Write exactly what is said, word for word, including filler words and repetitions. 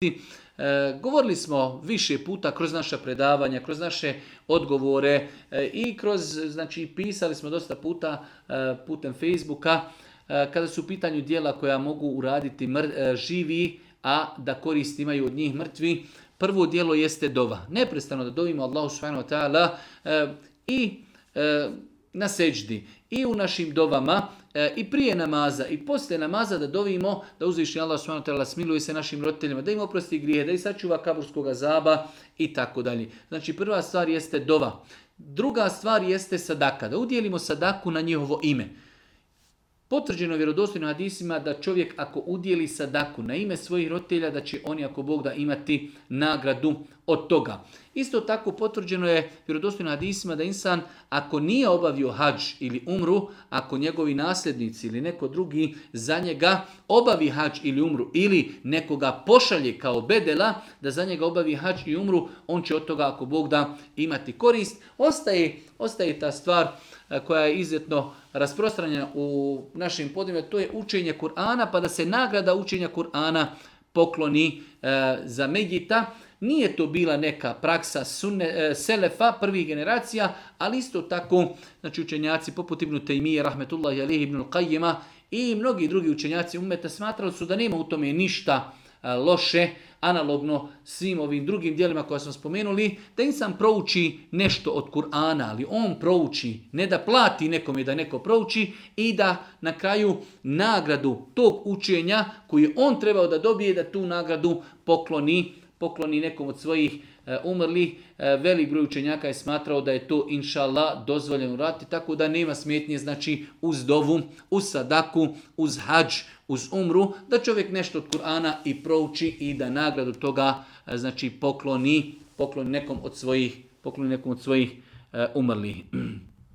E, govorili smo više puta kroz naša predavanja, kroz naše odgovore e, i kroz, znači pisali smo dosta puta e, putem Facebooka e, kada su u pitanju djela koja mogu uraditi mr, e, živi, a da korist imaju od njih mrtvi. Prvo djelo jeste dova. Neprestano da dovimo Allahu subhanahu wa ta'ala e, i e, na seđdi i u našim dovama e, i prije namaza i poslije namaza da dovimo da uzviši Allah subhanahu wa ta'ala smiluje se našim roditeljima, da im oprosti grijehe, da ih sačuva kaburskog azaba i tako dalje. Znači prva stvar jeste dova. Druga stvar jeste sadaka, da udjelimo sadaku na njihovo ime. Potvrđeno je vjerodostojno hadisima da čovjek ako udjeli sadaku na ime svojih roditelja, da će oni ako Bog da imati nagradu od toga. Isto tako potvrđeno je vjerodostojno hadisima da insan ako nije obavio hadž ili umru, ako njegovi nasljednici ili neko drugi za njega obavi hadž ili umru ili nekoga pošalje kao bedela da za njega obavi hadž i umru, on će od toga ako Bog da imati korist. Ostaje, ostaje ta stvar koja je izuzetno rasprostranjena u našim podnevima, to je učenje Kur'ana, pa da se nagrada učenja Kur'ana pokloni e, za Medjita. Nije to bila neka praksa sunne, e, selefa, prvih generacija, ali isto tako, znači učenjaci poput Ibn Taymije, rahmetullahi alihi, Ibn Qayyima i mnogi drugi učenjaci ummeta smatrali su da nema u tome ništa e, loše, analogno svim ovim drugim dijelima koja smo spomenuli, da insan prouči nešto od Kur'ana, ali on prouči, ne da plati nekome da neko prouči i da na kraju nagradu tog učenja koju on trebao da dobije, da tu nagradu pokloni, pokloni nekom od svojih e, umrlih. E, velik broj učenjaka je smatrao da je to inša Allah dozvoljeno uraditi, tako da nema smetnje, znači uz dovu, uz sadaku, uz hadž, uz umru, da čovjek nešto od Kur'ana i prouči i da nagradu toga znači pokloni, pokloni nekom od svojih, pokloni nekom od svojih uh, umrlih.